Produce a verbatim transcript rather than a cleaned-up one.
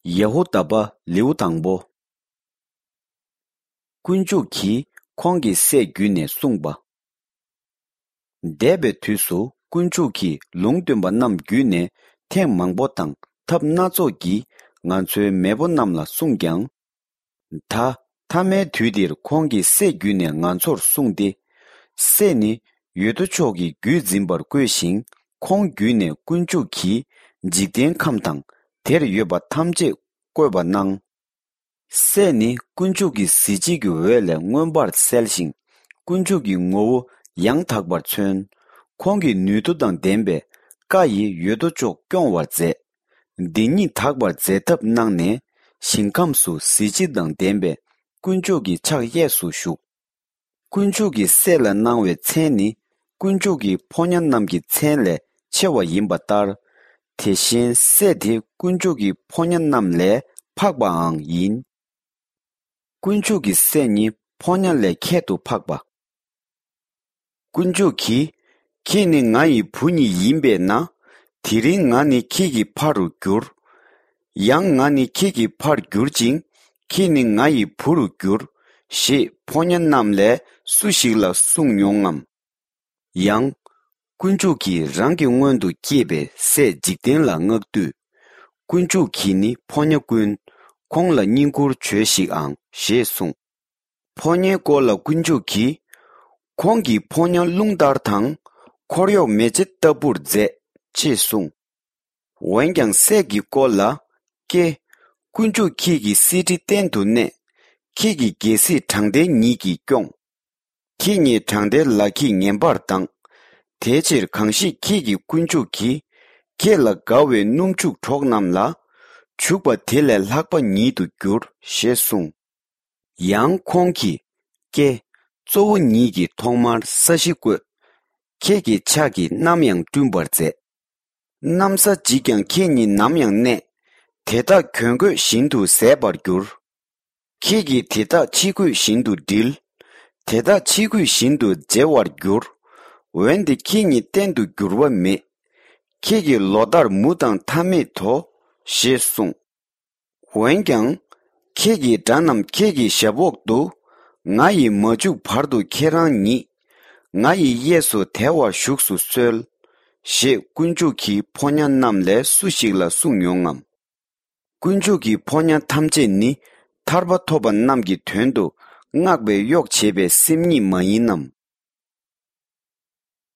ཡ་ཧུ་དཱ་པ་ལེའུ་དང་པོ། དཀོན་མཆོག་གིས་ཁོང་གི་སྲས་བརྒྱུད་ནས་གསུངས་པ། འདས་པའི་དུས་སུ་དཀོན་མཆོག་གིས་ལུང་སྟོན་པ་རྣམས་བརྒྱུད་ནས་ཐེངས་མང་པོ་དང་ཐབས་སྣ་ཚོགས་ཀྱིས་ང་ཚོའི་མེས་པོ་རྣམས་ལ་གསུངས་ཀྱང་། ད་མཐའ་མའི་དུས་འདིར་ཁོང་གི་སྲས་བརྒྱུད་ནས་ང་ཚོར་གསུངས་ཏེ། སྲས་ནི་ཡོད་དོ་ཅོག་གི་བརྒྱུད་འཛིན་པར་བསྐོས་ཤིང་། ཁོང་བརྒྱུད་ནས་དཀོན་མཆོག་གིས་འཇིག་རྟེན་ཁམས་དང་དེར་ཡོད་པ་ཐམས་ཅད་བཀོད་པ་གནང་། སྲས་ནི་དཀོན་མཆོག་གི་གཟི་བརྗིད་ཀྱི་འོད་ལས་མངོན་པར་གསལ་ཞིང་། དཀོན་མཆོག་གི་ངོ་བོ་ཡང་དག་པར་མཚོན། ཁོང་གི་ནུས་མཐུ་དང་ལྡན་པའི་བཀའ་ཡིས་ཡོད་དོ་ཅོག་སྐྱོང་བར་མཛད། འདི་ཉིད་དག་པར་མཛད་ཐབས་གནང་ནས། ཞིང་ཁམས་སུ་གཟི་བརྗིད་དང་ལྡན་པའི་དཀོན་མཆོག་གི་ཕྱག་གཡས་སུ་བཞུགས། དཀོན་མཆོག་གི་སྲས་ལ་གནང་བའི་མཚན་ནི། དཀོན་མཆོག་གི་ཕོ་ཉ་རྣམས་ཀྱི་མཚན་ལས་ཆེ་བ་ཡིན་པ་ལྟར། དེ་བཞིན་སྲས་དེ་དཀོན་མཆོག་གི་ཕོ་ཉ་རྣམས་ལས་འཕགས་པའང་ཡིན། དཀོན་མཆོག་གི་སྲས་ནི་ཕོ་ཉ་ལས་ཁྱད་དུ་འཕགས་པ། དཀོན་མཆོག་གིས། ཁྱེད་ནི་ང་ཡི་བུ་ཉིད་ཡིན་པས་ན། དེ་རིང་ང་ནི་ཁྱེད་ཀྱི་ཕ་རུ་འགྱུར། ཡང་ང་ནི་ཁྱེད་ཀྱི་ཕར་འགྱུར་ཅིང་། ཁྱེད་ནི་ང་ཡི་བུ་རུ་འགྱུར། ཞེས་ཕོ་ཉ་རྣམས་ལས་སུ་ཞིག་ལ་གསུངས་མྱོང་ངམ། ཡང་། དཀོན་མཆོག་གིས་རང་གི་སྔོན་དུ་སྐྱེས་པའི་སྲས་འཇིག་རྟེན་ལ་མངགས་དུས། དཀོན་མཆོག་གིས་ནི་ཕོ་ཉ་ཀུན། ཁོང་ལ་བསྙེན་བཀུར་བྱོས་ཤིག་ཨང་ཞེས་གསུངས། ཕོ་ཉའི་སྐོར་ལ་དཀོན་མཆོག་གིས། ཁོང་གི་ཕོ་ཉ་རླུང་ལྟར་དང་། འཁོར་གཡོག་མེ་ལྕེ་ལྟ་བུར་མཛད། ཅེས་གསུངས། འོན་ཀྱང་སྲས་ཀྱི་སྐོར་ལ། ཀྱེ། དཀོན་མཆོག་ཁྱེད་ཀྱི་གསེར་ཁྲི་སྟེང་དུ་གནས། ཁྱེད་ཀྱི་རྒྱལ་སྲིད་དྲང་བདེན་ཉིད་ཀྱིས་སྐྱོང་། ཁྱེད་ཉིད་དྲང་བདེན་ལག་གིས་ངན་པར་ལྡང་། དེའི་ཕྱིར་གང་ཞིག་ཁྱེད་ཀྱི་དཀོན་མཆོག་གིས། ཁྱེད་ལ་དགའ་བའི་སྣུམ་བྱུག་གྲོགས་རྣམས་ལ། བྱུག་པ་དེ་ལས་ལྷག་པ་ཉིད་དུ་འགྱུར། ཞེས་གསུངས། ཡང་ཁོང་གིས། ཀྱེ། གཙོ་བོ་ཉིད་ཀྱིས་ཐོག་མར་ས་གཞི་བཀོད། ཁྱེད་ཀྱི་ཕྱག་གིས་ནམ་ཡང་བསྐྲུན་པར་མཛད། གནམ་ས་འཇིག་ཀྱང་ཁྱེད་ཉིད་ནམ་ཡང་གནས། དེ་དག་གྱོན་གོས་བཞིན་དུ་ཟད་པར་འགྱུར། ཁྱེད་ཀྱིས་དེ་དག་ཕྱི་གོས་བཞིན་དུ་འགྲིལ། དེ་དག་ཕྱི་གོས་བཞིན་དུ་བརྗེ་བར་འགྱུར། འོན་ཏེ་ཁྱེད་ཉིད་གཏན་དུ་འགྱུར་བ་མེད། ཁྱེད་ཀྱི་ལོ་ཟླར་མུ་དང་མཐའ་མེད་དོ། ཞེས་གསུངས། འོན་ཀྱང་། ཁྱེད་ཀྱི་དགྲ་རྣམས་ཁྱེད་ཀྱི་ཞབས་འོག་ཏུ། ང་ཡིས་མ་བཅུག་བར་དུ་ཁྱེད་རང་ཉིད། ང་ཡི་གཡས་སུ་དལ་བར་བཞུགས་སུ་གསོལ། ཞེས་དཀོན་མཆོག་གིས་ཕོ་ཉ་རྣམས་ལས་སུ་ཞིག་ལ་གསུངས་མྱོང་ངམ། དཀོན་མཆོག་གི་ཕོ་ཉ་ཐམས་ཅད་ནི་ཐར་པ་ཐོབ་པ་རྣམས་ཀྱི་དོན་དུ་མངགས་པའི་གཡོག་བྱེད་པའི་སེམས་ཉིད་མ་ཡིན་ནམ།